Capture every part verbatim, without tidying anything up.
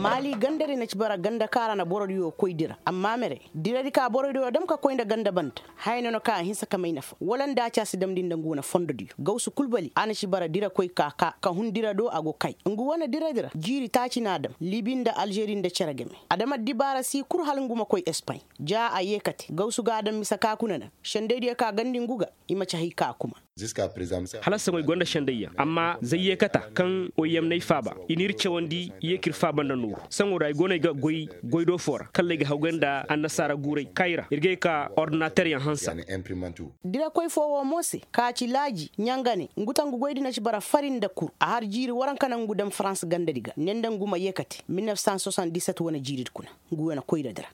Maali gandadi na ci bara ganda kaŋ a ra na borodiyo koy dira amma mere diradi ka borodiyo dam ka koy nda ganda banda. Haya no na kaŋ a hinsa ka may nafa wala nda a ci a si damndi nda ngu wane fondodiyo gawsu kul bali a na ci bara dira koy ka ka ka hun dira do a go kay ngu wane dira dira jiiri taaci no a dam libi nda alžeri nda cere game. A dam addibaara si kul hala ngu ma koy espaɲ. Ja a yeekate gawsu ga a dam mise ka kuna na sendaydiyo ka gandi ngu ga. I ma ci hay ka kuma. Hala saŋo i gonda sendayyaŋ amma zay yeekata kaŋ oyamney faaba i n'ir cawandi. Yeekir faaba nda nooru saŋo ra i go no ay ga goy goy do foo ra kalla ay ga hawgay nda annasaara guuray kaayira ir ga ay ka ordinateryaŋ hansa. Dirakoy foo woo mo se ka ci laaji ɲangane ngu tangu goydi na ci bara fari nda kur a har jiiri waranka naŋ ngu daŋ farans gandadi ga ne nda ngu ma yeekate mil nef san soixante dix-sept wane jiiridi kuna. Ngu wane koyradi ra.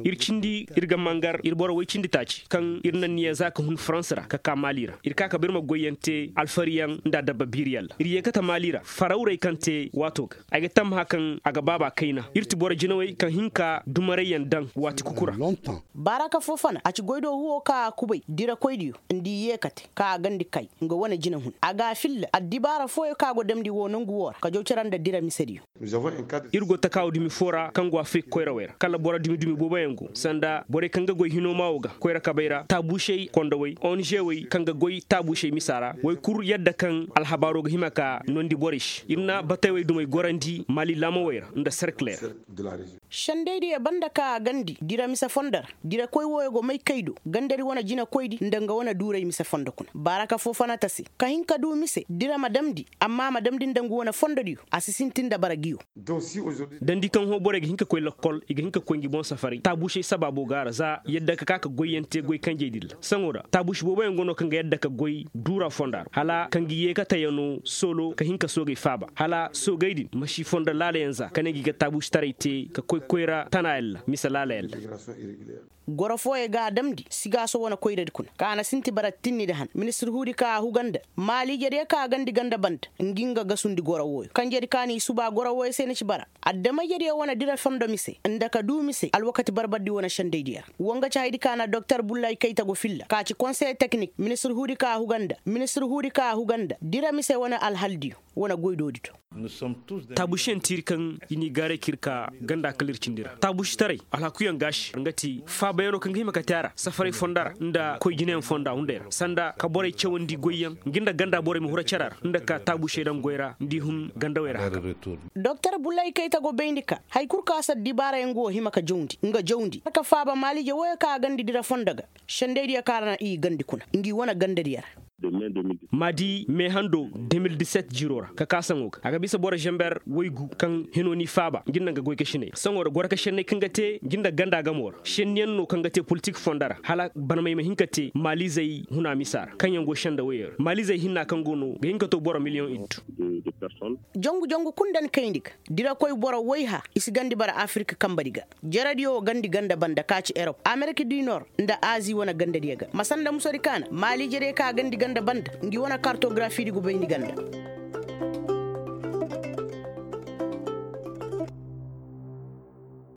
Ir cindi ir ga mangar ir boro woy cindi taaci kaŋ ir na niya za ka hun farans ra ka ka maali ra ir ka ka ba ir ma goyyaŋ te alfariyaŋ nda adabba biiriyaŋ ra ir yeekate maali ra farawrey kaŋ te waato ga ay ga tammaha kaŋ a ga baaba kayna ir ti boro jinawey kaŋ hin ka dumarayyaŋ daŋ waati kuku ra. Baaraka foo fana a ci goy do huwo ka a kubay dirakoydiyo nda i yeekate ka a gandi kay nga wane jina hun a ga a filla addibaara fooyo ka go damndi woo nongu woo ra ka jaw cere nda dira misediyo. Ir go takaawa dumi foo ra kaŋ go afirika koyrawey ra kala boro dumi dumi booboyaŋ go sanda borey kaŋ ga goy hinoo maa woo ga koyra kabey ra taabuusey kondowey onžewey kaŋ ga goy taabuusey misa ra woy kul yadda kaŋ alhabaaroo ga hima ka noondi borey se ir na batey wey dumey gorandi maali laamawey ra nda serkiley ra. Sendaydiyo banda ka a gandi dira mise fondo ra dirakoy wooyo go may kay do gandadi wane jinakoydi nda nga wane duuray mise fondo kuna baaraka foo fana ta se ka hin ka duu mise dira ma damndi amma a ma damndi nda ngu wane fondodiyo a si sintin nda bara ngiyo. Dandi kaŋ hõ borey ga hin ka koy lakkol i ga hin ka koy ngi boŋ safaray taabuusey sabaabo ga a ra za yadda ka ka ka goyyaŋ te goy kanjey din ra saŋo ra taabuusi booboyaŋ go no kaŋ ga yadda ka goy duura fonda ra hala ka ngi yeekatayano soolo ka hin ka soogey faaba hala soogey din ma si fondo laalayaŋ za ka ne ngi ga taabuusitaray te ka koy koyra tanayaŋ ra mise laalayaŋ ra. Goro fooyey ga a damndi sigaaso wane koyradi kuna ka a na sinti bara tinni nda han ministir huudi ka a huga nda maaliijediyo ka a gandi ganda banda ngi nga gasundi goro wooyo kanjedi ka n'i subaa goro wooyo se ni ci bara adama-ijediyo wane dira fondo mise nda ka duu mise alwakati barbardi wane sendaydiyo ra. Wa nga ci haydi ka na doktor bullay kayta go filla ka ci konsey teknik ministir huudi ka a huga nda ministir huudi ka a huga nda dira mise wane alhaldiyo wane goydoodi do. Taabuusiyaŋ tiiri kaŋ i n'i gaaray ka ir ka ganda kala ir cindi ra taabuusitaray alhakuyaŋ ga a se nga ti faabayaŋo kaŋ ga hima ka te a ra safaray fonda ra nda koy jinayaŋ fonda hunday ra sanda ka borey cawandi goyyaŋ ngi nda ganda borey ma hura cara ra nda ka taabuusey daŋ goy ra nda i hun gandawey ra haka. Doktor bullay kayta go bayndi ka hari kul kaŋ a si addibaarayaŋ go hima ka jawndi nga jawndi ka faaba maaliije wooyo kaŋ a gandi dira fondo ga sendaydiyo kaŋ a ra na i gandi kuna ngi wane gandadiyo ra. Ma di me hando de mil diset jiiroo ra ka kaa saŋo ga a ga bisa boro zamber waygu kaŋ hino n'i faaba ngi nda nga goykasiney saŋo ra goro ka senney kaŋ ga te ngi nda ganda gamoo ra senniyaŋ no kaŋ ga te politik fondo ra hala barmey ma hin ka te maaliizey huna misa ra kaŋyaŋ go senda woyey ra maaliizey hinna kaŋ go no ga hin ka to boro miliyoŋ iddu. Jangu jangu kul nda ni kayndi ga dirakoy boro wayha i si gandi bara afirika kambadi ga. Jaradiyo wo gandi ganda banda ka ci erop amerik di nor nda azi wane gandadiyo ga ma sanda musodi kaana maaliijediyo ka gandi ganda banda ngi wane kartogarafiidi gubayndi ganda.